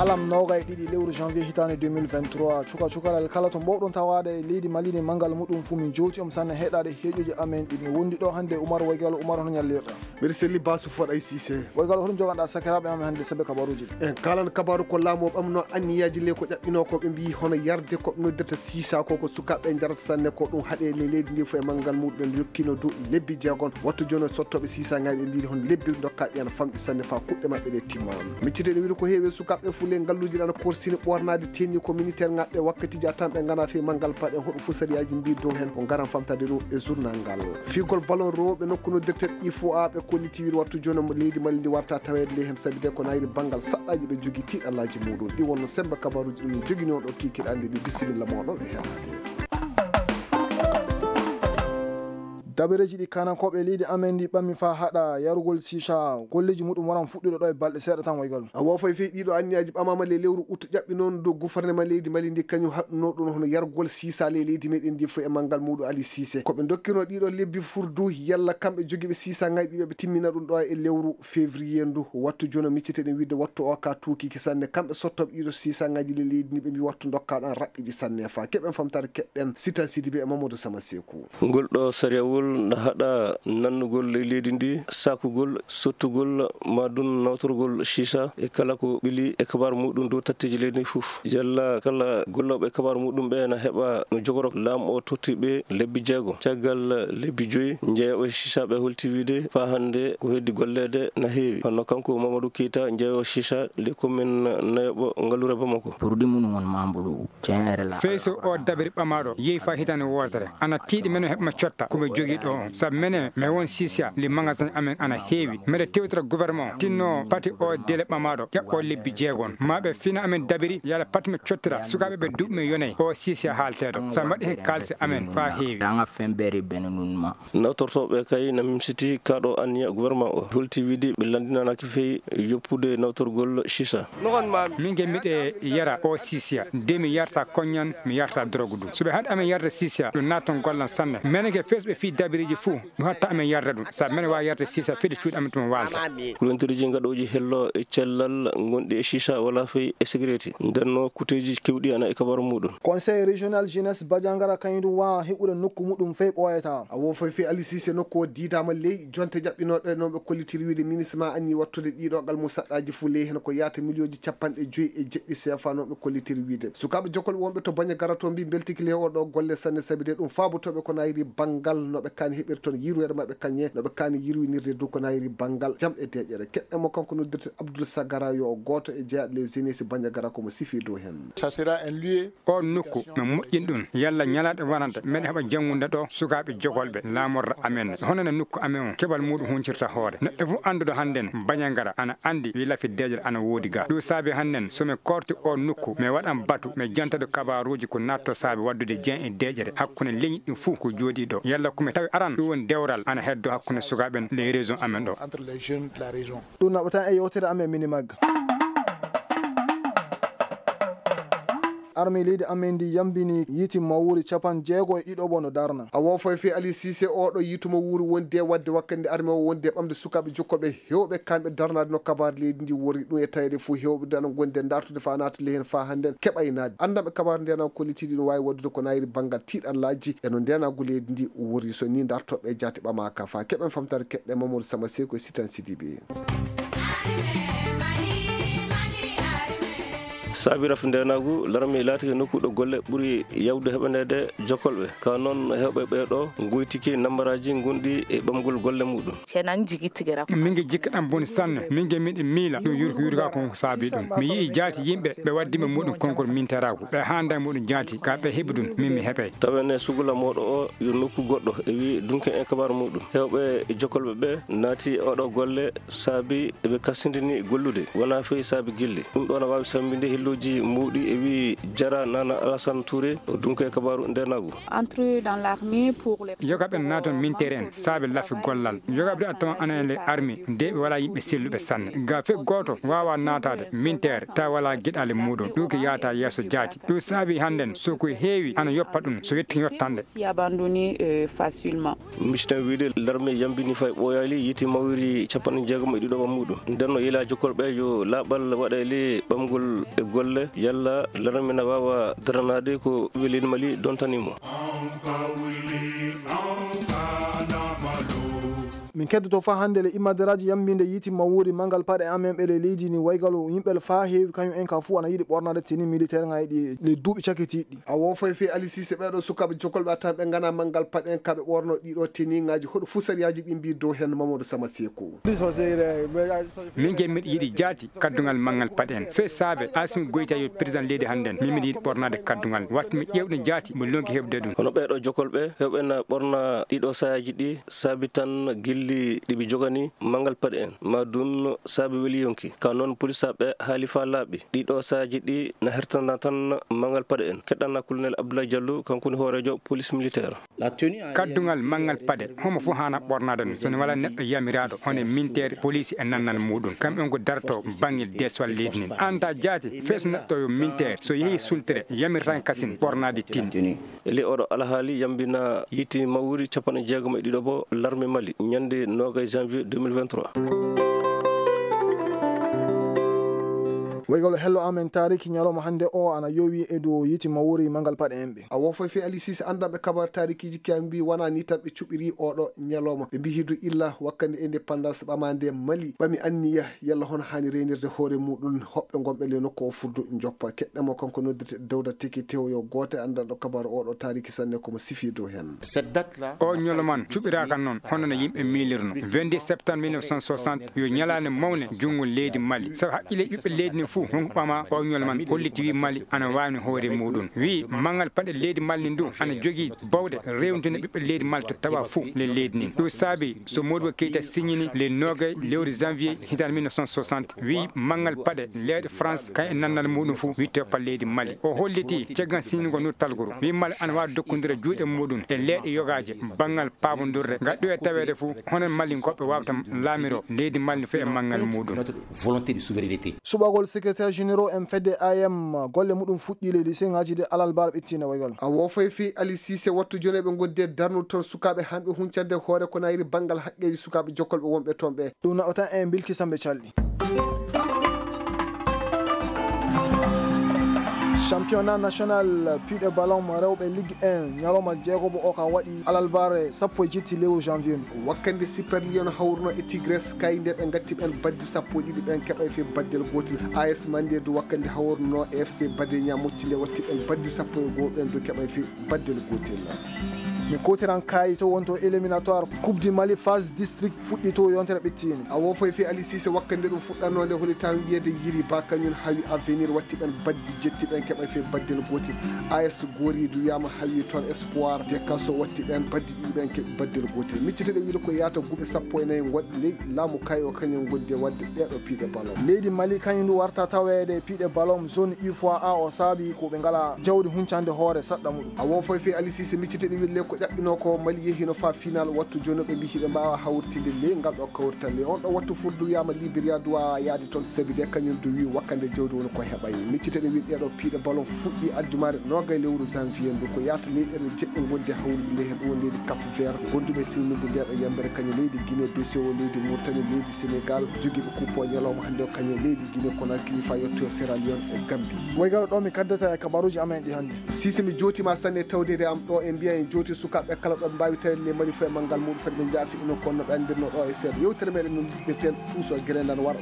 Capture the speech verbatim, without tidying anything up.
Alam noogay ɗiɗi lewru janvier hitaande deux mille vingt-trois, cuka cukalel kala to mbowɗon tawaade e leydi Mali ndi, manngal muɗum fuu min jowti on sanne heɗaade heeƴoji amen ɗi. Mi wondi ɗo hannde e Umar Waygalo. Umar, hono ñallirɗa? Mbiɗa selli Basu Foɗay Cissé. Waygalo, hoɗum joganɗa sakiraaɓe amen hannde saabe kabaruuji ɗi? En kaalan kabaaru ko laamu o ɓamno anniyaaji ley ko ƴaɓɓinoo ko ɓe mbiyi hono yarde ko ɓe noddirta sisa ko, ko sukaaɓe njarata sanne ko ɗum haɗe ley leydi ndi fof e manngal muɗum. Ɓe jokkino dow lebbi jeegom. Wattu jooni o sottooɓe sisa ngaji ɓe mbiyi hono lebbi dokkaɗi ana famɗi sanne faa kuɗɗe maɓɓe ɗe timma. Miccite ene wiyde ko heewi e sukaaɓe fulle ngalluuji ɗi ana korsini ɓoornaade tenue ko militaire ngaɓe wakkatiiji a tan ɓe ngana fii manngal paɗe hoɗo fof sariyaaji mbiyi dow heen ko ngaran famtade ɗum e journal ngal. Fiigol ballon rewɓe nokku no directeur I F O A ɓe kolliti wiyde wattu jooni mo leydi Mali ndi warta taweede ley heen sabi de ko nayri banngal saɗɗaaji ɓe jogii tiiɗallaaji muɗum. Ɗi wonno semmbe kabaruuji ɗum min jogini on ɗo kiikiiɗe hannde ɗi. Bisimilla mooɗon e heɗaade. Dabareeji ɗi kaanankooɓe leydi amen ndi ɓammi faa haɗa yarugol sisa, golleeji muɗum waran fuɗɗude ɗo e balɗe seeɗa tan, Waygalo. A woofay fii ɗiɗo anniyaaji ɓamaama ley lewru ut ƴaɓɓi noon dow gouvernement leydi Mali ndi kañum haɗunoo ɗum hono yargol sisa ley leydi meɗen ndi fof e manngal muɗum Ali Cissé. Ko ɓe dokkirno ɗiɗo lebbi furdu yalla kamɓe jogiiɓe sisa ngaji ɓe ɓe timmina ɗum ɗo e lewru février ndu. Wattu jooni miccite ɗen wiyde wattu o ka tuukiki sanne. Kamɓe sottooɓe ɗiɗo sisa ngaji ley leydi ndi ɓe mbi wattu dokka ɗon raɓɓiji sanne faa keɓen famtaare keɗɗen Sitan Sidibe e Mamadou Sama Seku. Ngol ɗo sariyawol na haɗa nannugol ley leydi ndi, sakugol, sottugol, maa ɗum nawtorgol sisa e kala ko ɓili e kabaaru muɗum dow tatteeji leydi ndi fof. Yalla kala gollooɓe e kabaaru muɗum ɓe na heɓa no jogoro laamu o totti ɓe lebbi jeego. Caggal lebbi joyi, njeeyooɓe sisa ɓe holti wiyde faa hannde ko heddi golleede na heewi. Hono kanko Mamadou Keita, njeeyoowo sisa ley commune nayoɓo ngallure Bamako. Produit mum won mambulu. Feyso o dabiri ɓamaaɗo yehi faa hitaande wootere. Ana tiiɗi menen heɓma cotta ko mi jogii ɗo on. Sabu menen mi won sisa, li magasin amen ana heewi. Mbeɗa tewtira gouvernement o tinno pati o dele ɓamaaɗo ƴaɓɓo lebbi jeegom. Maa ɓe fina amen dabiri yala pati mi cottira sukaaɓe ɓe duuɓi mi yonay o sisa haalteeɗo. Sabu mbaɗi heen kaalisi amen faa heewi. Nawtortooɓe kay na mimsiti kaa ɗo anniya gouvernement o. Holti wiyde ɓe lanndinanaaki fey yoppude nawtorgol sisa. Min ge miɗe yara o sisa, de mi yarta koñan, mi yarta drogue ɗum. So ɓe haɗi amen yarde sisa, ɗum naatan gollan sanne. Menen ge fes ɓe fii dabiriiji fuu, ɗum hatta amen yarde ɗum. Sabu menen waawi yarde sisa fedi cuuɗi amen tuma waalta. Kulontiriji ngaɗooji hello e cellal ngonɗi e sisa wala fey e sigareeti. Ndenno kuteeji kewɗi ana e kabaaru muɗum. Conseil régional jeunesse Badiangara kañum ɗum waawa heɓude nokku muɗum fey ɓooyata. A wo foy fii Ali Cissé nokku o diidaama ley jonte ƴaɓɓinooɗe no ɓe kollitiri wiyde ministre ma anni wattude ɗiɗo almusaɗɗaaji fuu ley heen ko yaata miliyooji capanɗe joyi e jeɗɗi C F A no ɓe kollitiri wiyde. Sukaaɓe jokol wonɓe to Bañagara to mbi mbeltiki ley oɗo golle sanne sabi de ɗum faabotooɓe ko nayri banngal no ɓe kaani heɓir toon yirweere maɓɓe kañe no ɓe kaani yirwinirde dow ko nayri banngal jam e deeƴere. Keɗɗe mo kanko noddirte Abdoul Sagara yo o gooto e jeyaaɗo les jeunesse Bañagara ko mo sifi dow heen. Ça sera un lieu. O nokku no moƴƴin ɗum yalla ñalaaɗe wonande meɗen heɓa janngude ɗo sukaaɓe jogolɓe laamorɗo amen ne hono no nokku amen o keɓal muɗum huncirta hoore neɗɗo fof annduɗo hannden Bañangara ana anndi wi lafi deeƴere ana woodi ga ɗum saabi hannden so mi korti o nokku mi waɗan batu mi janta ɗo kabaruuji ko natto saabi waddude jen e deeƴere hakkunde leñi ɗum fof ko jooɗi ɗo yalla ko mi tawi aran ɗum woni dewral ana heddo hakkunde sukaaɓe en les régions amen ɗo. Entre les jeunes de la région. Ɗum naɓata e yewtere amen mini magga. Armée leydi amen ndi yambini yiiti mawuuri capanɗe jeego e ɗiɗo bono darna. A wofay fii Ali Cissé oɗo yiitu mo wuuri wondi e wadde wakkati nde armée o wondi e ɓamde sukaaɓe jokkoɓe hewɓe kamɓe darnaade no kabaar leydi ndi wori ɗum e taweede fof hewɓe nde ana gondi e dartude faa naata ley heen faa hannden keɓaynaade anndanɓe kabaar nde ana kollitiiɗi no waawi waɗdude ko nayri banngal tiiɗallaaji e no ndeenaagu leydi ndi wori so ni dartoɓe jaati ɓamaaka faa keɓen famtaare keɓɗe Mamadou Sama Seko e Sitan Sidibe. Saabi rafi ndeenaagu, larme laatike nokku ɗo golle ɓuri yawde heɓaneede jokolɓe. Ka noon, heewɓe ɓee ɗoo ngoytike nambaraaji gonɗi e ɓamgol golle muɗum. Min ngi jikka ɗam boni sanne, min ngi miɗi miila ɗum yurko yurka ko saabi ɗum. Mi yi'i jaati yimɓe ɓe waddima muɗum konngol minteraagu. Ɓe haanda muɗum jaati, ka ɓe heɓi ɗum, min mi heɓay. Tawen e sugula mooɗo o yo nokku goɗɗo e wi dunke en kabaru muɗum. Heewɓe jokolɓe ɓe naati oɗo golle saabi eɓe kasindini gollude, wonaa fey saabi gilli. Ɗum ɗo na waawi sambinde hillo Ji muuɗi e wi Jara Nana Alassane Touré o dunke kabaaru ndeenaagu. Entrer dans l'armée pour les... Yoga ɓen naaton minteer en saabe lafi gollal. Yoga ɓe attama ana e le armée de ɓe wala yimɓe selluɓe sanne. Ga fe gooto waawa naataade minteer ta wala geɗale muuɗum. Ɗum ko yaata yeeso jaati. Ɗum saabi hannden so ko heewi ana yoppa ɗum so yetti yottande. Si abandonner, euh, facilement. Misiɗen wiide larme yambini fay ɓooyaali yiiti mawiri capanɗe jeegom e ɗiɗo ɓammuɗo. Nden no yila jokkolɓe yo laaɓal waɗa e ley ɓamgol e golle yalla larme na waawa daranaade ko welin Mali dontani mo. Min keddoto faa hannde le immaderaaji yambiinde yiiti mawuri manngal paɗe amen ɓe le leydi ni waygalu yimɓe le faa heewi kañum en ka fuu ana yiɗi ɓornaade teni militaire ŋaaji ɗi le duuɓi cakitiiɗi. A woofay fii Ali Siise ɓeeɗo sukaaɓe jokolɓe a tan ɓe ngana manngal paɗe en kaɓe ɓorno ɗiɗo teniŋaaji hoɗo fuu sariyaaji ɗi mbii dow heen Mamadou Sama Seeku. Min ge miɗo yiɗi jaati kaddungal manngal paɗe en fee saabe Asimi Goyta yo président leydi hannden min miɗo yiɗi ɓornaade kaddungal wattu mi ƴeewɗo jaati mo lonki heɓde ɗum. Hono ɓeeɗo jokolɓe heɓɓe na ɓorna ɗiɗo sayaaji ɗi saabi tan gilli ɗi ɓe jogani manngal paɗe en ma ɗum saabi weli yonki ka noon polisaaɓe haali faa laaɓi ɗiɗo sayaaji ɗi na hertana tan manngal paɗe en keɗɗana colonel Abdoulaye Diallo kanko woni hooreejo police militaire. Kaddungal manngal paɗe homo fof haana ɓornaade ɗum so ne wala neɗɗo yamiraaɗo hono e minteere poliisi e nannal muɗum kamɓe on ko darto banngel deeswal leydi nin anta jaati fes neɗɗo yo minteere so yehi sultere yamirtan kasin ɓornaade tin. E ley oɗo alhaali yambina yiiti mawuri capanɗe jeegom e ɗiɗo bo larme mali ñande nogay janvier deux mille vingt-trois. Waygol hello amen taariki ñalawma hannde o ana yowi e dow yiiti mawuri manngal paɗe en ɓe. A wofay fe Ali Sise anndanɓe kabar taarikiiji kiyam mbi wona ni tan ɓe cuɓiri oɗo ñalawma ɓe mbi hidu illa wakkande indépendance ɓamande Mali ɓami anniya yalla hono hani reynirde hoore muɗum hoɓɓe gonɓe le nokku o fuddu joppa keɗɗamo kanko noddirte dawda teki tew yo goote anndanɗo kabar oɗo taariki sanne komo sifi dow hen. O ñoloman cuɓiraka noon hono no yimɓe miilirno vingt-deux septembre mille neuf cent soixante yo ñalaande mawne junngo leydi Mali sabu haqqille ɓiɓɓe leydi ndi fof honko ɓama o ñoloman holliti wi Mali ana waawni hoore muɗum wi manngal paɗe leydi Mali ndi ndu ana jogii bawɗe rewdude ɓiɓɓe leydi Mali to tawa fof le leydi ndi ɗum saabi so Modibo Keita signini le nogay lewru janvier hitande mille neuf cent soixante wi manngal paɗe leyɗe France kay e nannal muɗum fof wi toppa leydi Mali o holliti caggal signingol ndu talguru wi Mali ana waawi dokkondira juuɗe muɗum e leyɗe yogaaje banngal paabondirde ngal ɗo e taweede fof hono Mali goɗɗo waawata laamiro leydi Mali fof e manngal muɗum. Volonté de souveraineté. Suɓagol secrétaire généraux en fedde A M golle muɗum fuɗɗi leydi seŋaji de alalbar ɓettine waygol. A wofay fi Ali Sise wattu joneɓe gonde darnude toon sukaɓe hanɓe huncande hoore ko nayri banngal haqqeji sukaɓe jokkolɓe wonɓe toon ɓe. Ɗum naɓata en bilki sambe calɗi. Championnat national piɗe ballon rewɓe ligue un ñalawma jeegobo o ka waɗi alalbare sappo e jetti lewru janvier ndu. Wakkande Super Lion hawruno e Tigres kayde ɓe gatti ɓen baddi sappo e ɗiɗi ɓen keɓay fe baddel gotel. A S Mande du wakkande hawruno e F C Badenia mottinde watti ɓen baddi sappo e goo ɓen du keɓay fe baddel gotel. Mi kotiran kaayi to wonto éliminatoire coupe du Mali phase district fuɗɗi to yontere ɓettini. A wofay fe Ali Sise wakkande ɗum fuɗɗanode holi tan wiyede yiri ba kañum hawi avenir watti ɓen baddi jetti ɓen keɓay fe baddel gotel. A S Gori du wiyama hawi toon espoir de kaso watti ɓen baddi ɗiɗi ɓen keɓi baddel gotel micciteɗe wiide ko yata guuɓe sappo e nayi gonɗi ley laamu kay o kañum gondi e wadde ɗeɗo piiɗe ballon. Leydi Mali kañum ndu warta taweede piiɗe ballon zone U F O A o saabi ko ɓe ngala jawdi huncande hoore saɗɗa muɗum. A wofay fe Ali Sise micciteɗe wiide le ko ƴaɓɓino ko Mali yehino fa final wattu joni ɓe mbi hiɓe mbawa hawrtinde le ngal ɗo kawrital le on ɗo wattu furdu wiyama Liberia du wawa yaade toon sabi de kañum du wi wakkande jawdi woni ko heɓay micciteɗe wiide ɗeɗo piiɗe ballon fuɗɗi aljumare nogay lewru janvier ndu ko yata leyɗele jeɗɗe gondi hawride le hen ɗum woni leydi Cap Vert gonduɓe silminde ndeɗo yambere kañum leydi Guinée Bissau leydi Mauritanie leydi Sénégal jogiiɓe coupe o ñalawma hannde o kañum leydi Guinée Conakry fa yettoyo Sierra Leone e Gambie. Woygalo ɗo mi kaddata e kabaruji amen ɗi hannde. Sise mi jootima sanne tawdede am ɗo e mbiya en jooti sukaɓe kala ɗo ɓe mbawi tawede le mani fo e manngal muɗum fadi ɓe jaafi ino konno ɓe andirno ɗo e seeɗa yewtere meɗen no liggodirten tuuso e guerendan wara.